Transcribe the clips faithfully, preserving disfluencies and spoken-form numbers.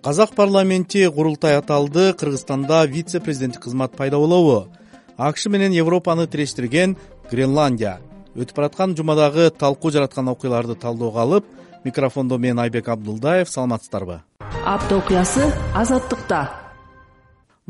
Казак парламенти курултай аталды. Кыргызстанда вице-президенттик кызмат пайда болобу? АКШ менен Европаны тирештирген Гренландия. Өтүп бараткан жумадагы талкуу жараткан окуяларды талдөөгө алып, микрофондо мен Айбек Абдулдаев. Саламатсыздарбы? Апта окуясы Азаттыкта.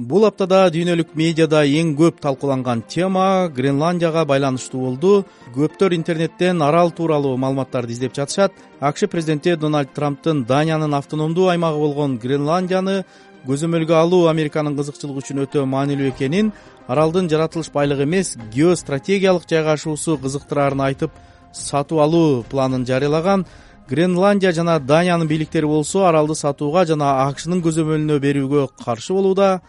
Бул аптада дүйнөлүк медиада эң көп талкууланган тема Гренландияга байланыштуу болду. Көптөр интернеттен арал тууралуу маалыматтарды издеп жатышат. АКШ президенти Дональд Трамптын Даниянын автономдуу аймагы болгон Гренландияны көзөмөлгө алуу Американын кызыкчылыгы үчүн өтө маанилүү экенин, аралдын жаратылыш байлыгы эмес, геостратегиялык жайгашуусу кызыктыраарын айтып, сатып алуу планын жарыялаган. Гренландия жана Даниянын бийликтери болсо аралды сатууга жана АКШнын көзөмөлүнө берүүгө каршы болууда.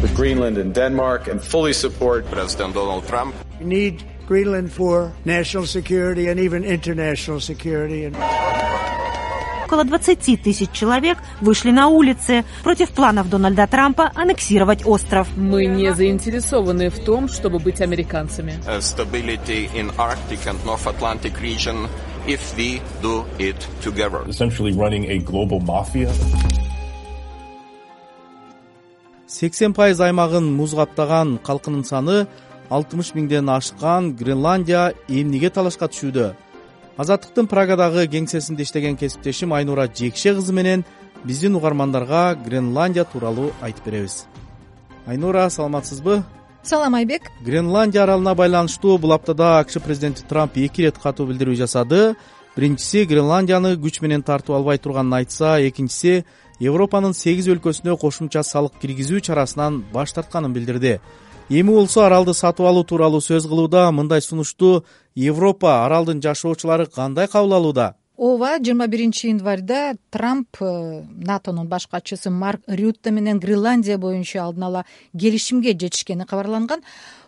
With Greenland and Denmark and fully support President Donald Trump. We need Greenland for national security and even international security. Около двадцати тысяч человек вышли на улицы против планов Дональда Трампа аннексировать остров. Мы не заинтересованы в том, чтобы быть американцами. Stability in Arctic and North Atlantic region if we do it together. Essentially running a global mafia. сексен пайыз аймагын муз каптаган калкынын саны алтымыш миңден ашкан Гренландия эмнеге талашка түшүүдө? Азаттыктын Прагадагы кеңсесинде иштеген кесиптешим Айнура Жекше кызы менен биздин угармандарга Гренландия тууралуу айтып беребиз. Айнура, саламатсызбы? Салам, Айбек. Гренландия аралына байланыштуу бул аптада АКШ президенти Трамп эки ирет катуу билдирүү жасады. Биринчиси Гренландияны күч менен тартып албай турганын айтса, экинчиси Европанын сегиз өлкөсүнө кошумча салык киргизүү чарасынан баш тартканын билдирди. Эми болсо аралды сатып алуу тууралуу сөз кылууда. Мындай сунушту Европа, аралдын жашоочулары кандай кабыл алууда? Ооба, жыйырма биринчи январда Трамп НАТОнун баш катчысы Марк Рютте менен Гренландия боюнча алдын ала келишимге жетишкени кабарланган.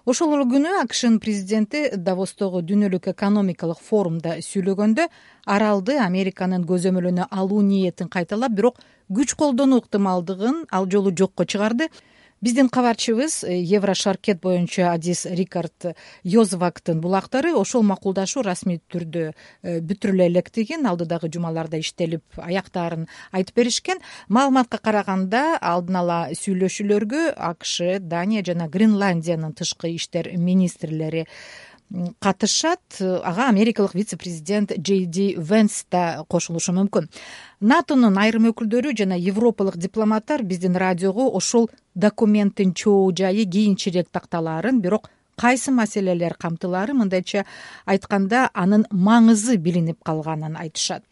Ошол эле күнү АКШнын президенти Давостогу дүйнөлүк экономикалык форумда сүйлөгөндө аралды Американын көзөмөлүнө алуу ниетин кайталап, бирок күч колдонуу ыктымалдыгын ал жолу жокко чыгарды. Биздин кабарчыбыз Еврошаркет боюнча Адис Рикард Йозвактын булактары ошол макулдашуу расмий түрдө бүтүрүлө электигин, алдыдагы жумаларда иштелип аяктаарын айтып беришкен. Маалыматка караганда алдын ала сүйлөшүүлөргө АКШ, Дания жана Гренландиянын тышкы иштер министрлери катышат. Ага америкалык вице-президент Джей Ди Венс да кошулушу мүмкүн. НАТОнун айрым өкүлдөрү жана европалык дипломаттар биздин радиого ошол документтин чоо жайы кийинчерээк такталаарын, бирок кайсы маселелер камтылаары, мындайча айтканда, анын маңызы билинип калганын айтышат.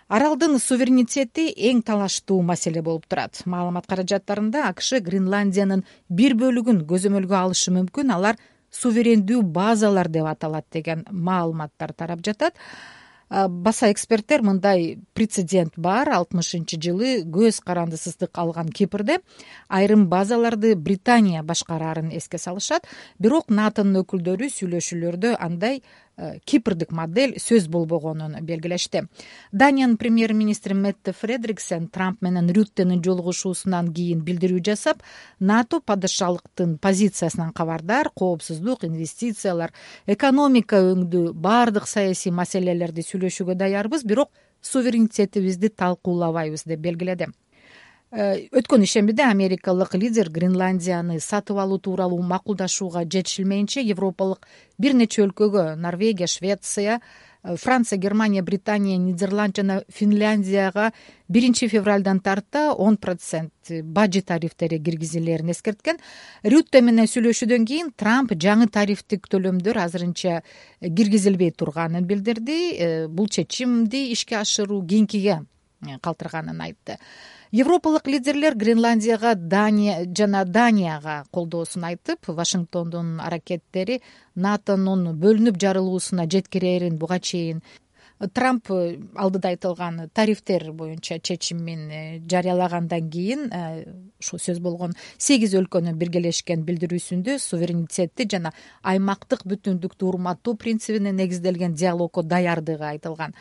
Аралдын суверенитети эң талаштуу маселе болуп турат. Маалымат каражаттарында АКШ Гренландиянын бир бөлүгүн көзөмөлгө алышы мүмкүн, алар суверендүү базалар деп аталат деген маалыматтар тарап жатат. Баса эксперттер мындай прецедент бар. алтымышынчы жылы көз карандысыздык алган Кипрде айрым базаларды Британия башкараарын эске салышат. Бирок НАТОнун өкүлдөрү сүйлөшүүлөрдө андай Кипрдик модель сөз болбогонун белгилешти. Даниянын премьер-министри Метте Фредриксен Трамп менен Рюттенин жолугушуусунан кийин билдирүү жасап, НАТО падышалыктын позициясынан кабардар, коопсуздук, инвестициялар, экономика өңдүү баардык саясий маселелерди сүйлөшүүгө даярбыз, бирок суверенитетибизди талкуулабайбыз деп белгиледи. Өткөн ишембиде америкалык лидер Гренландияны сатып алуу тууралуу макулдашууга жетишилмейинче европалык бир нече өлкөгө — Норвегия, Швеция, Франция, Германия, Британия, Нидерланд жана Финляндияга биринчи февралдан тарта он процент бажы тарифтери киргизилерин эскерткен. Рютте менен сүйлөшүүдөн кийин Трамп жаңы тарифтик төлөмдөр азырынча киргизилбей турганын билдирди. Бул чечимди ишке ашыруу кийинкиге калтырганын айтты. Европалык лидерлер Гренландияга Дания жана Данияга колдоосун айтып, Вашингтондун аракеттери НАТОнун бөлүнүп жарылуусуна жеткирерин буга чейин Трамп алдыда айтылган тарифтер боюнча чечимин жарыялагандан кийин ошо сөз болгон сегиз өлкөнүн биргелешкен билдирүүсүндө суверенитетти жана аймактык бүтүндүктү урматтоо принцибине негизделген диалогко даярдыгы айтылган.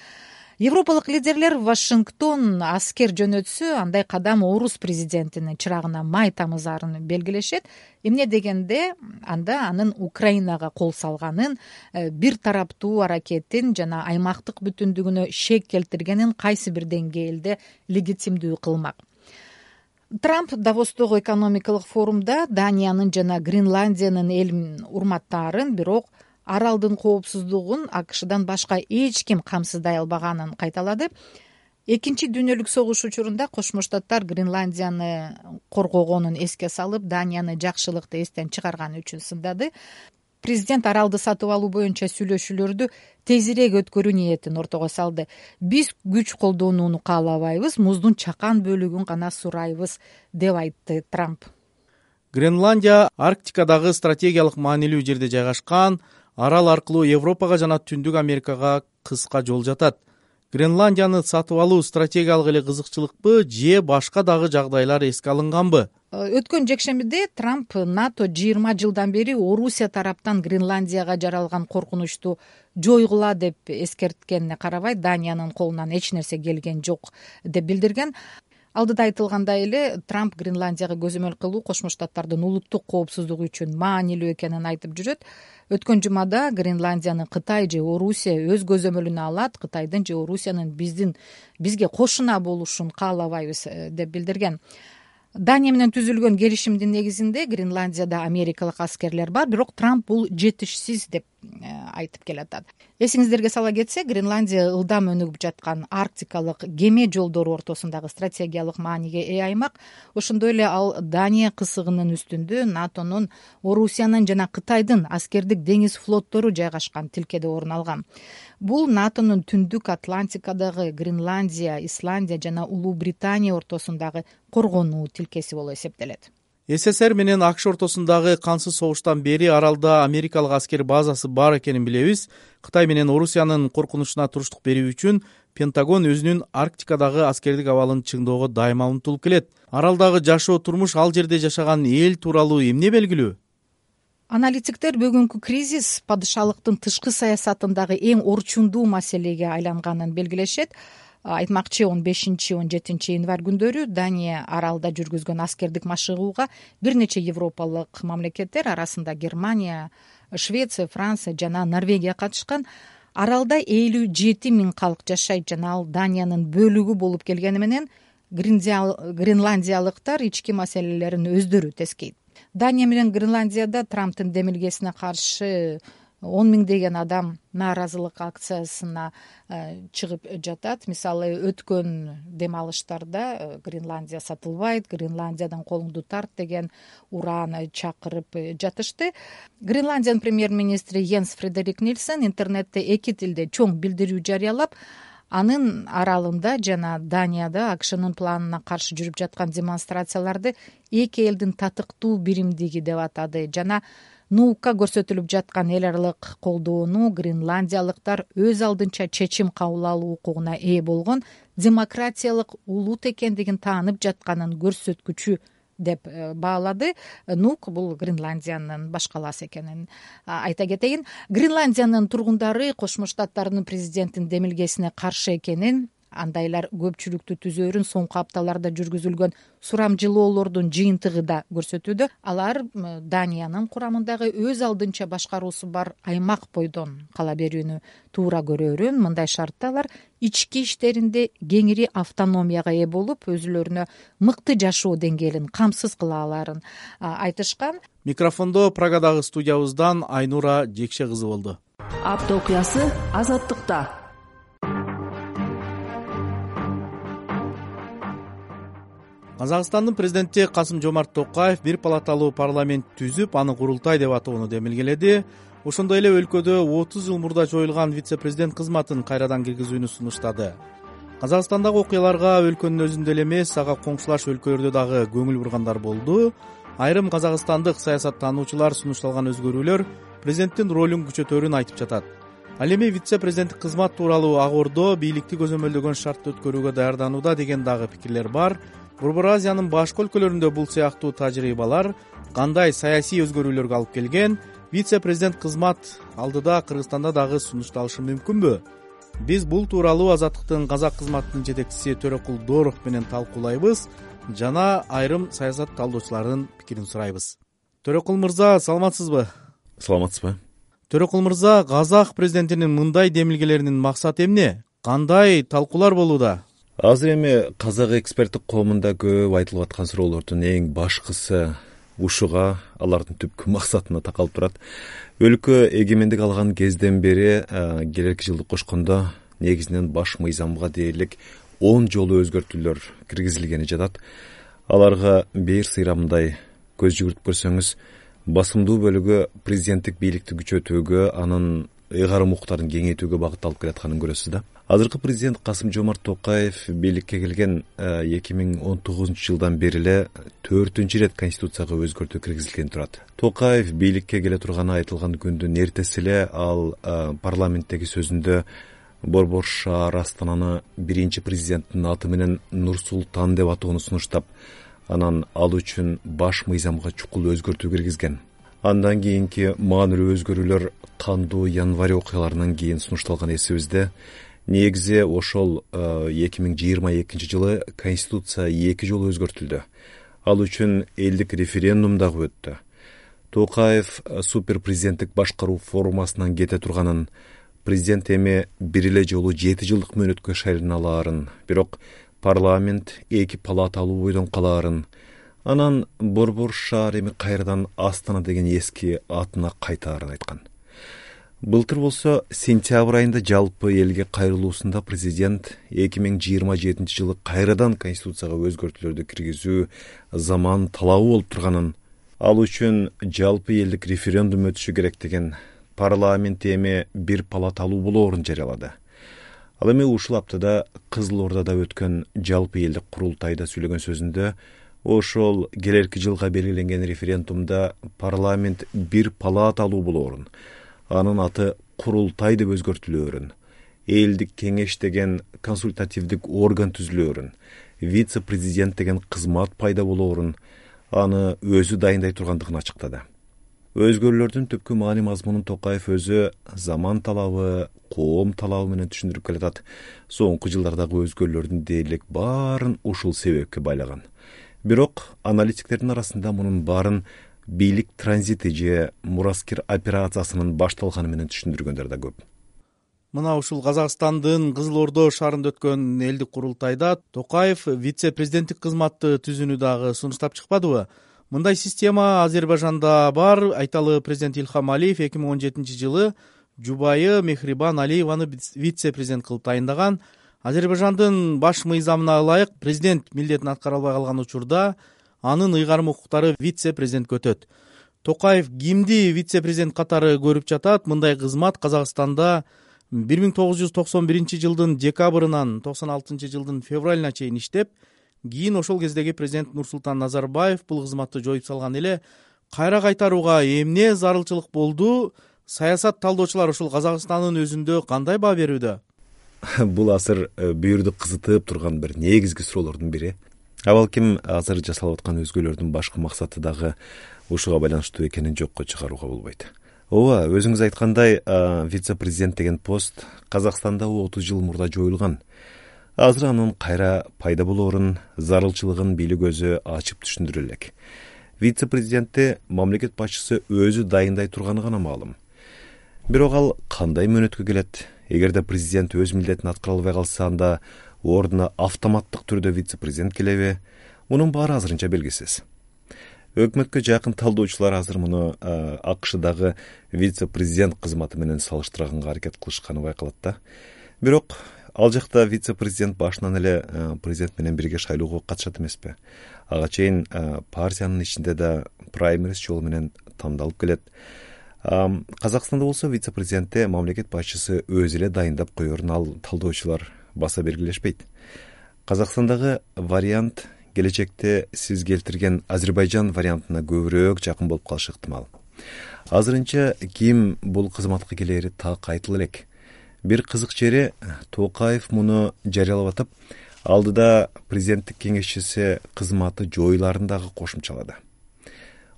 европалык лидерлер Вашингтон аскер жөнөтсө андай кадам орус президентинин чырагына май тамызарын белгилешет. Эмне дегенде анда анын Украинага кол салганын, бир тараптуу аракетин жана аймактык бүтүндүгүнө шек келтиргенин кайсы бир деңгээлде легитимдүү кылмак. Трамп Давостогу экономикалык форумда Даниянын жана Гренландиянын элин урматтаарын, бирок аралдын коопсуздугун АКШдан башка эч ким камсыздай албаганын кайталады. Экинчи дүйнөлүк согуш учурунда Кошмо Штаттар Гренландияны коргогонун эске салып, Данияны жакшылыкты эстен чыгарганы үчүн сындады. Президент аралды сатып алуу боюнча сүйлөшүүлөрдү тезирээк өткөрүү ниетин ортого салды. Биз күч колдонууну каалабайбыз, муздун чакан бөлүгүн гана сурайбыз, деп айтты Трамп. Гренландия Арктикадагы стратегиялык маанилүү жерде жайгашкан, арал аркылуу Европага жана Түндүк Америкага кыска жол жатат. Гренландияны сатып алуу стратегиялык эле кызыкчылыкпы же башка дагы жагдайлар эске алынганбы? Өткөн жекшембиде Трамп НАТО жыйырма жылдан бери Орусия тараптан Гренландияга жаралган коркунучту жойгула деп эскерткенине карабай, Даниянын колунан эч нерсе келген жок деп билдирген. Алдыда айтылгандай эле, Трамп Гренландияга көзөмөл кылуу Кошмо Штаттардын улуттук коопсуздугу үчүн маанилүү экенин айтып жүрөт. Өткөн жумада Гренландияны Кытай же Орусия өз көзөмөлүнө алат, Кытайдын же Орусиянын биздин бизге кошуна болушун каалабайбыз деп билдирген. Дания менен түзүлгөн келишимдин негизинде Гренландияда америкалык аскерлер бар, бирок Трамп бул жетишсиз деп айтып келатат. Эсиңиздерге сала кетсе, Гренландия ылдам өнүгүп жаткан арктикалык кеме жолдору ортосундагы стратегиялык мааниге ээ аймак. Ошондой эле ал Дания кысыгынын үстүндө НАТОнун, Орусиянын жана Кытайдын аскердик деңиз флоттору жайгашкан тилкеде орун алган. Бул НАТОнун Түндүк Атлантикадагы Гренландия, Исландия жана Улуу Британия ортосундагы коргонуу тилкеси болуп эсептелет. СССР менен АКШ ортосундагы кансыз согуштан бери аралда америкалык аскер базасы бар экенин билебиз. Кытай менен Орусиянын коркунучуна туруштук берүү үчүн Пентагон өзүнүн Арктикадагы аскердик абалын чыңдоого дайыма умтулуп келет. Аралдагы жашоо турмуш, ал жерде жашаган эл тууралуу эмне белгилүү? Аналитиктер бүгүнкү кризис падышалыктын тышкы саясатындагы эң орчундуу маселеге айланганын белгилешет. Айтмакчы, он бешинчи он жетинчи январь күндөрү Дания аралда жүргүзгөн аскердик машыгууга бир нече европалык мамлекеттер, арасында Германия, Швеция, Франция жана Норвегия катышкан. Аралда элүү жети миң калк жашайт жана ал Даниянын бөлүгү болуп келгени менен гренландиялыктар ички маселелерин өздөрү тескейт. Дания менен Гренландияда Трамптын демилгесине каршы он миңдеген адам нааразылык акциясына чыгып жатат. Мисалы, өткөн дем алыштарда Гренландия сатылбайт, Гренландиядан колуңду тарт деген урааны чакырып жатышты. Гренландиянын премьер-министри Йенс Фредерик Нильсен интернетте эки тилде чоң билдирүү жарыялап, анын аралында жана Данияда АКШнын планына каршы жүрүп жаткан демонстрацияларды эки элдин татыктуу биримдиги деп атады жана нуукка көрсөтүлүп жаткан эл аралык колдоону гренландиялыктар өз алдынча чечим кабыл алуу укугуна ээ болгон демократиялык улут экендигин таанып жатканын көрсөткүчү деп баалады. Нук бул Гренландиянын баш калаасы экенин айта кетейин. Гренландиянын тургундары Кошмо Штаттарынын президентинин демилгесине каршы экенин, андайлар көпчүлүктү түзөөрүн соңку апталарда жүргүзүлгөн сурамжылоолордун жыйынтыгы да көрсөтүүдө. Алар Даниянын курамындагы өз алдынча башкаруусу бар аймак бойдон кала берүүнү туура көрөөрүн, мындай шартта алар ички иштеринде кеңири автономияга ээ болуп, өзүлөрүнө мыкты жашоо деңгээлин камсыз кыла аларын айтышкан. Микрофондо Прагадагы студиябыздан Айнура Жекше кызы болду. Апта окуясы Азаттыкта. Казакстандын президенти Касым-Жомарт Токаев бир палаталуу парламент түзүп, аны курултай деп атоону демилгеледи. Ошондой эле өлкөдө отуз жыл мурда жоюлган вице-президент кызматын кайрадан киргизүүнү сунуштады. Казакстандагы окуяларга өлкөнүн өзүндө эле эмес, ага коңшулаш өлкөлөрдө дагы көңүл бургандар болду. Айрым казакстандык саясаттануучулар сунушталган өзгөрүүлөр президенттин ролун күчөтөөрүн айтып жатат. Ал эми вице-президенттик кызмат тууралуу ак ордо бийликти көзөмөлдөгөн шартты өткөрүүгө даярданууда деген дагы пикирлер бар. Борбор Азиянын башка өлкөлөрүндө бул сыяктуу тажрыйбалар кандай саясий өзгөрүүлөргө алып келген? Вице-президент кызмат алдыда Кыргызстанда дагы сунушталышы мүмкүнбү? биз бул тууралуу Азаттыктын казак кызматынын жетекчиси Төрөкул Дооров менен талкуулайбыз жана айрым саясат талдоочулардын пикирин сурайбыз. Төрөкул мырза, саламатсызбы? Саламатсызбы? Төрөкул мырза, казак президентинин мындай демилгелеринин максаты эмне? Кандай талкуулар болууда? Азыр эми казак эксперттик коомунда көп айтылып аткан суроолордун эң башкысы ушуга, алардын түпкү максатына такалып турат. Өлкө эгемендик алган кезден бери келерки жылды кошкондо негизинен баш мыйзамга дээрлик он жолу өзгөртүүлөр киргизилгени жатат. Аларга бир сыйрамындай көз жүгүртүп көрсөңүз, басымдуу бөлүгү президенттик бийликти күчөтүүгө, анын ыйгарым укуктарын кеңейтүүгө багытталып келатканын көрөсүз да. Азыркы президент Касым-Жомарт Токаев бийликке келген эки миң он тогузунчу жылдан бери эле төртүнчү ирет конституцияга өзгөртүү киргизилген турат. Токаев бийликке келе турганы айтылган күндүн эртеси эле ал парламенттеги сөзүндө Борбор шаар Астананы биринчи президенттин аты менен Нур-Султан деп атоону сунуштап, анан ал үчүн баш мыйзамга чукул өзгөртүү киргизген. Андан кийинки маанилүү өзгөрүүлөр кандуу январь окуяларынан кийин сунушталган эсибизде. Негизи ошол эки миң жыйырма экинчи жылы конституция эки жолу өзгөртүлдү. Ал үчүн элдик референдум дагы өттү. Токаев супер президенттик башкаруу формасынан кете турганын, президент эми бир эле жолу жети жылдык мөөнөткө шайлана алаарын, бирок парламент эки палаталуу бойдон калаарын, анан Борбор шаар эми кайрадан Астана деген эски атына кайтаарын айткан. Былтыр болсо сентябрь айында жалпы элге кайрылуусунда президент эки миң жыйырма жетинчи жылы кайрадан конституцияга өзгөртүүлөрдү киргизүү заман талабы болуп турганын, ал үчүн жалпы элдик референдум өтүшү керек деген, парламент эми бир палаталуу болоорун жарыялады. Ал эми ушул аптада Кызыл Ордада өткөн жалпы элдик курултайда сүйлөгөн сөзүндө ошол келерки жылга белгиленген референдумда парламент бир палаталуу болоорун, анын аты курултай деп өзгөртүлөөрүн, элдик кеңеш деген консультативдик орган түзүлөөрүн, вице-президент деген кызмат пайда болоорун, аны өзү дайындай тургандыгын ачыктады. Өзгөрүүлөрдүн түпкү маани мазмунун Токаев өзү заман талабы, коом талабы менен түшүндүрүп келатат. Соңку жылдардагы өзгөрүүлөрдүн дээрлик баарын ушул себепке байлаган. Бирок аналитиктердин арасында мунун баарын бийлик транзити же мураскер операциясынын башталганы менен түшүндүргөндөр да көп. Мына ушул Казакстандын Кызыл Ордо шаарында өткөн элдик курултайда Токаев вице-президенттик кызматты түзүүнү дагы сунуштап чыкпадыбы? Мындай система Азербайжанда бар. Айталы президент Илхам Алиев эки миң он жетинчи жылы жубайы Мехрибан Алиеваны вице-президент кылып тайындаган. Азербайжандын баш мыйзамына ылайык президент милдетин аткара албай калган учурда анын ыйгарым укуктары вице-президентке өтөт. Токаев кимди вице-президент катары көрүп жатат? Мындай кызмат Казакстанда бир миң тогуз жүз токсон биринчи жылдын декабрынан токсон алтынчы жылдын февралына чейин иштеп, кийин ошол кездеги президент Нурсултан Назарбаев бул кызматты жоюп салган эле. Кайра кайтарууга эмне зарылчылык болду? Саясат талдоочулар ушул Казакстандын өзүндө кандай баа берүүдө? Бул азыр бүйүрдү кызытып турган бир негизги суроолордун бири. Абалким азыр жасалып аткан өзгөрүүлөрдүн башкы максаты дагы ушуга байланыштуу экенин жокко чыгарууга болбойт. Ооба, өзүңүз айткандай, вице-президент деген пост Казакстанда отуз жыл мурда жоюлган. Азыр анын кайра пайда болоорун, зарылчылыгын бийлик өзү ачып түшүндүрө элек. Вице-президентти мамлекет башчысы өзү дайындай турганы гана маалым. Бирок ал кандай мөөнөткө келет? Эгерде президент өз милдетин аткара албай калса, анда ордуна автоматтык түрдө вице-президент келеби? Мунун баары азырынча белгисиз. Өкмөткө жакын талдоочулар азыр муну АКШдагы вице-президент кызматы менен салыштырганга аракет кылышканы байкалат да. Бирок ал жакта вице-президент башынан эле президент менен бирге шайлоого катышат эмеспи? Ага чейин партиянын ичинде да праймериз жолу менен тандалып келет. Казакстанда болсо вице-президентте мамлекет башчысы өзү эле дайындап коерун ал талдоочулар баса бергилешпейт. Казакстандагы вариант келечекте сиз келтирген Азербайжан вариантына көбүрөөк жакын болуп калышы ыктымал. Азырынча ким бул кызматка келери так айтыла элек. Бир кызык жери, Токаев муну жарыялап атып, алдыда президенттик кеңешчиси кызматы жоюларын дагы кошумчалады.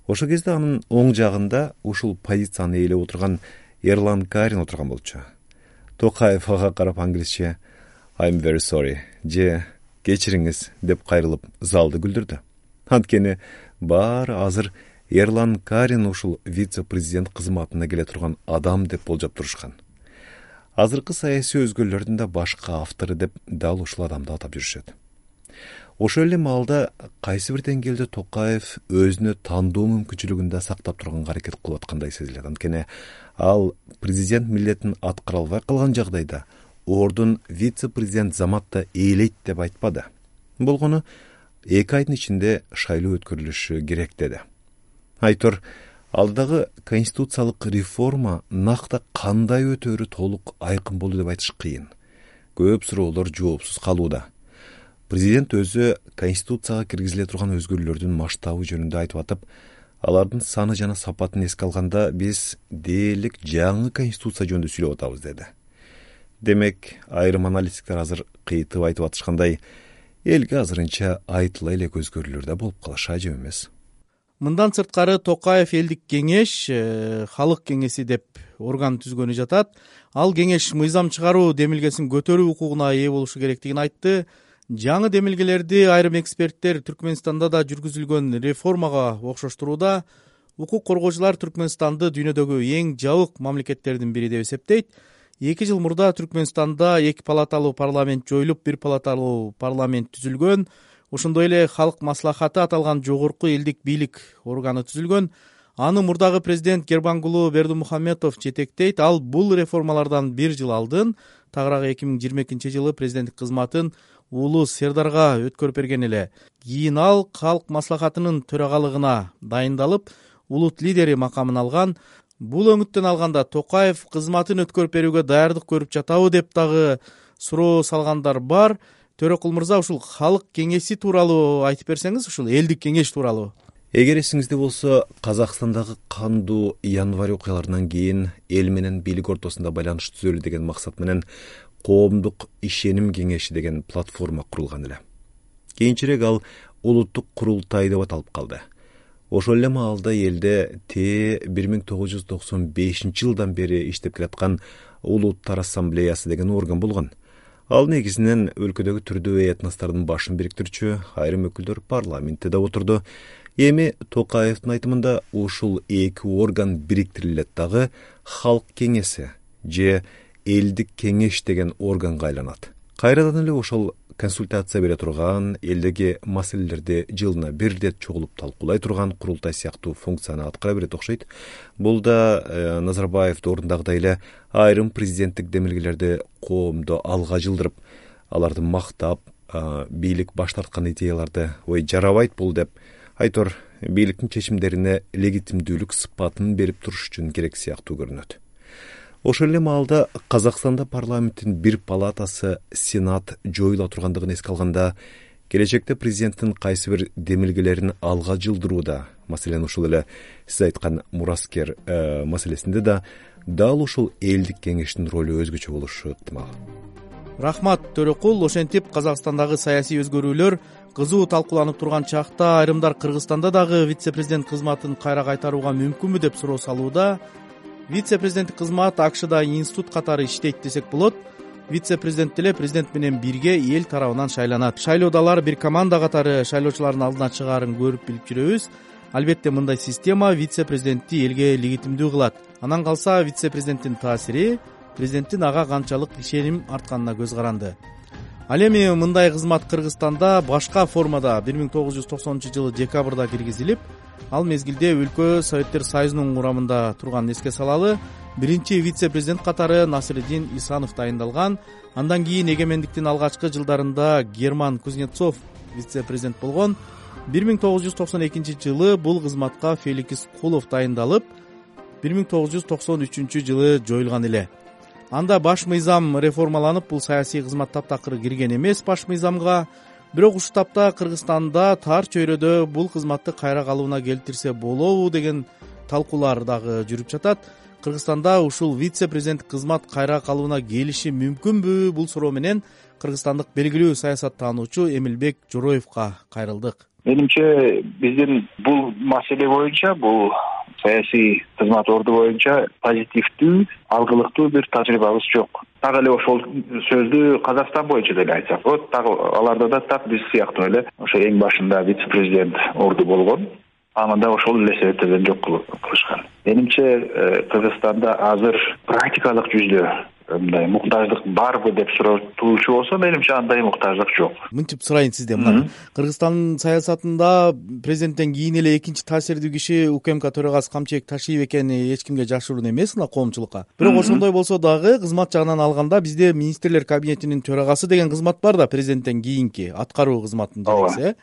Ошол кезде анын оң жагында ушул позицияны ээлеп отурган Эрлан Карин отурган болчу. Токаев ага карап англисче I'm very sorry же кечириңиз деп кайрылып залды күлдүрдү. Анткени баары азыр Эрлан Карин ушул вице-президент кызматына келе турган адам деп болжоп турушкан. Азыркы саясий өзгөрүүлөрдүн да башка автору деп дал ушул адамды атап жүрүшөт. Ошол эле маалда кайсы бир деңгээлде Токаев өзүнө тандоо мүмкүнчүлүгүн да сактап турганга аракет кылып аткандай сезилет. Анткени ал президент милдетин аткара албай калган жагдайда ордун вице-президент заматта ээлейт деп айтпады. Болгону эки айдын ичинде шайлоо өткөрүлүшү керек деди. Айтор, алдагы конституциялык реформа накта кандай өтөөрү толук айкын болду деп айтыш кыйын. Көп суроолор жоопсуз калууда. Президент өзү конституцияга киргизиле турган өзгөрүүлөрдүн масштабы жөнүндө айтып атып, алардын саны жана сапатын эске алганда биз дээрлик жаңы конституция жөнүндө сүйлөп атабыз деди. Демек, айрым аналитиктер азыр кыйтып айтып атышкандай, элге азырынча айтыла элек өзгөрүүлөр да болуп калышы ажап эмес. Мындан сырткары Токаев элдик кеңеш, халык кеңеси деп орган түзгөнү жатат. Ал кеңеш мыйзам чыгаруу демилгесин көтөрүү укугуна ээ болушу керектигин айтты. Жаңы демилгелерди айрым эксперттер Түркмөнстанда да жүргүзүлгөн реформага окшоштурууда. Укук коргоочулар Түркмөнстанды дүйнөдөгү эң жабык мамлекеттердин бири деп эсептейт. Эки жыл мурда Түркмөнстанда эки палаталуу парламент жоюлуп, бир палаталуу парламент түзүлгөн. Ошондой эле халык маслахаты аталган жогорку элдик бийлик органы түзүлгөн. Аны мурдагы президент Гербангулу Бердимухамедов жетектейт. Ал бул реформалардан бир жыл алдын, тагыраагы эки миң жыйырма экинчи жылы президенттик кызматын уулу Сердарга өткөрүп берген эле. Кийин ал халык маслахатынын төрагалыгына дайындалып, улут лидери макамын алган. Бул өңүттөн алганда Токаев кызматын өткөрүп берүүгө даярдык көрүп жатабы деп дагы суроо салгандар бар. Төрөкул мырза, ушул халык кеңеси тууралуу айтып берсеңиз, ушул элдик кеңеш тууралуу. Эгер эсиңизде болсо, Казакстандагы кандуу январь окуяларынан кийин эл менен бийлик ортосунда байланыш түзөлү деген максат менен коомдук ишеним кеңеши деген платформа курулган эле. Кийинчерээк ал улуттук курултай деп аталып калды. Ошол эле маалда элде Т бир миң тогуз жүз токсон бешинчи жылдан бери иштеп келаткан Улуттар ассамблеясы деген орган болгон. Ал негизинен өлкөдөгү түрдүү этностордун башын бириктирчү айрым өкүлдөр парламентте да отурду. Эми Токаевдин айтымында ушул эки орган бириктирилет дагы халык кеңеси же элдик кеңеш деген органга айланат. Кайрадан эле ошол консультация бере турган, элдеги маселелерди жылына бир ирет чогулуп талкуулай турган курултай сыяктуу функцияны аткара берет окшойт. Бул да э, Назарбаевди ордундагыдай эле айрым президенттик демилгелерди коомдо алга жылдырып, аларды мактап, э, бийлик баш тарткан идеяларды ой жарабайт бул деп айтор бийликтин чечимдерине легитимдүүлүк сыпатын берип туруш үчүн керек сыяктуу көрүнөт. Ошол эле маалда Казакстанда парламенттин бир палатасы Сенат жоюла тургандыгын эске алганда, келечекте президенттин кайсы бир демилгелерин алга жылдырууда, маселен ушул эле сиз айткан мураскер э, маселесинде да дал ушул элдик кеңештин ролу өзгөчө болушу ыктымал. Рахмат Төрөкул. Ошентип Казакстандагы саясий өзгөрүүлөр кызуу талкууланып турган чакта айрымдар Кыргызстанда дагы вице-президент кызматын кайра кайтарууга мүмкүнбү деп суроо салууда. Вице-президенттик кызмат АКШда институт катары иштейт десек болот. Вице-президент деле президент менен бирге эл тарабынан шайланат. Шайлоодо алар бир команда катары шайлоочулардын алдына чыгаарын көрүп билип жүрөбүз. Албетте мындай система вице-президентти элге легитимдүү кылат. Анан калса вице-президенттин таасири президенттин ага канчалык ишеним артканына көз каранды. Ал эми мындай кызмат Кыргызстанда башка формада бир миң тогуз жүз токсонунчу жылы декабрда киргизилип, ал мезгилде өлкө Советтер Союзунун курамында турганын эске салалы. Биринчи вице-президент катары Насыриддин Исанов дайындалган. Андан кийин эгемендиктин алгачкы жылдарында Герман Кузнецов вице-президент болгон. бир миң тогуз жүз токсон экинчи жылы бул кызматка Феликс Кулов дайындалып, бир миң тогуз жүз токсон үчүнчү жылы жоюлган эле. Анда баш мыйзам реформаланып, бул саясий кызмат таптакыр кирген эмес баш мыйзамга. Бирок ушул тапта Кыргызстанда тар чөйрөдө бул кызматты кайра калыбына келтирсе болобу деген талкуулар дагы жүрүп жатат. Кыргызстанда ушул вице-президент кызмат кайра калыбына келиши мүмкүнбү? Бул суроо менен кыргызстандык белгилүү саясаттануучу Эмилбек Жороевго кайрылдык. Менимче биздин бул маселе боюнча, бул саясий кызмат орду боюнча позитивдүү, алгылыктуу бир тажрыйбабыз жок. Так эле ошол сөздү Казакстан боюнча деле айтсак, вот так аларда да так биз сыяктуу эле ошо эң башында вице-президент орду болгон. Аны да ошол эле себептерден жок кылышкан. Менимче Кыргызстанда азыр практикалык жүздө мындай муктаждык барбы деп суроотуучу болсо, менимче андай муктаждык жок. Мынтип сурайын сизден. Мына Кыргызстан саясатында президенттен кийин эле экинчи таасирдүү киши УКМК төрагасы Камчыбек Ташиев экени эч кимге жашыруун эмес мына коомчулукка. Бирок ошондой болсо дагы кызмат жагынан алганда бизде министрлер кабинетинин төрагасы деген кызмат бар да, президенттен кийинки аткаруу кызматынын жетекчиси.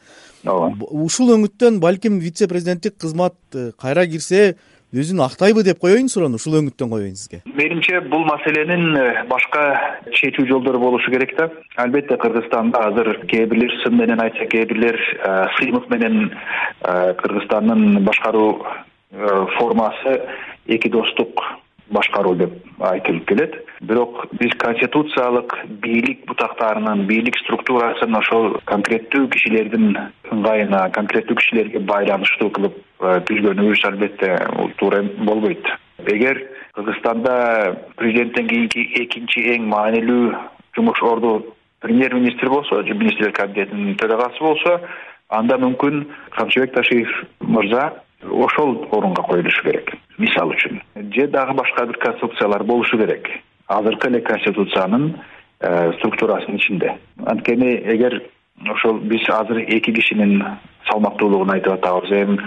Ооба. Ушул өңүттөн балким вице-президенттик кызмат кайра кирсе өзүн актайбы деп коеюн суроону, ушул өңүттөн коеюн сизге. Менимче бул маселенин башка чечүү жолдору болушу керек да. Албетте Кыргызстанда азыр кээ бирлер сын менен айтса, кээ бирлер сыймык менен Кыргызстандын башкаруу формасы эки достук башкаруу деп айтылып келет. Бирок биз конституциялык бийлик бутактарынын, бийлик структурасын ошол конкреттүү кишилердин ыңгайына, конкреттүү кишилерге байланыштуу кылып түзгөнүбүз албетте туура болбойт. Эгер Кыргызстанда президенттен кийинки экинчи эң маанилүү жумуш орду премьер-министр болсо, же министрлер кабинетинин төрагасы болсо, анда мүмкүн Камчыбек Ташиев мырза ошол орунга коюлушу керек. Мисал үчүн, же дагы башка бир конституциялар болушу керек. Азыркы эле конституциянын структурасынын ичинде. Анткени эгер ошол биз азыр эки кишинин салмактуулугун айтып атабыз, эми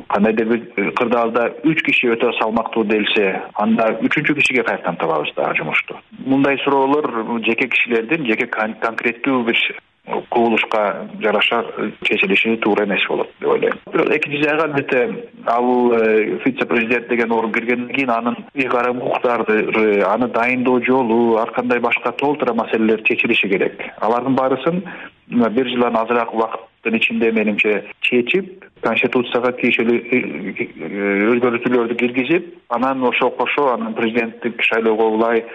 кандайдыр бир кырдаалда үч киши өтө салмактуу делсе, анда үчүнчү кишиге кайрадан табабыз дагы жумушту. Мындай суроолор жеке кишилердин жеке конкреттүү бир кубулушка жараша чечилиши туура эмес болот деп ойлойм. Бирок экинчи жагы албетте ал вице-президент деген орун киргенден кийин анын ыйгарым укуктары, аны дайындоо жолу, ар кандай башка толтура маселелер чечилиши керек. Алардын баарысын бир жылдан азыраак убакыттын ичинде менимче чечип, конституцияга тиешелүү өзгөртүүлөрдү киргизип, анан ошого кошо анын президенттик шайлоого улай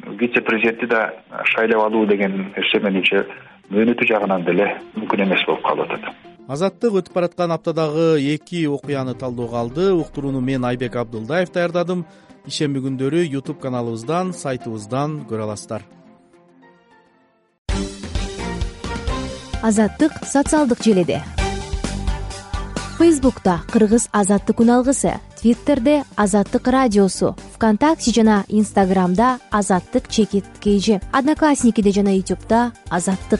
вице-президентти да шайлап алуу деген нерсе менимче мөөнөтү жагынан деле мүмкүн эмес болуп калып атат. Азаттык өтүп бараткан аптадагы эки окуяны талдоого алды. Уктурууну мен Айбек Абдулдаев даярдадым. Ишемби күндөрү YouTube каналыбыздан, сайтыбыздан көрө аласыздар. Азаттык социалдык желеде. Фейсбукта Кыргыз азаттык үналгысы, Твиттерде Азаттык радиосу, ВКонтакте жана Инстаграмда Азаттык чекит кейжи, Одноклассникиде жана Ютубда Азаттык.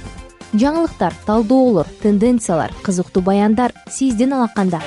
Жаңылыктар, талдоолор, тенденциялар, кызыктуу баяндар сиздин алаканда.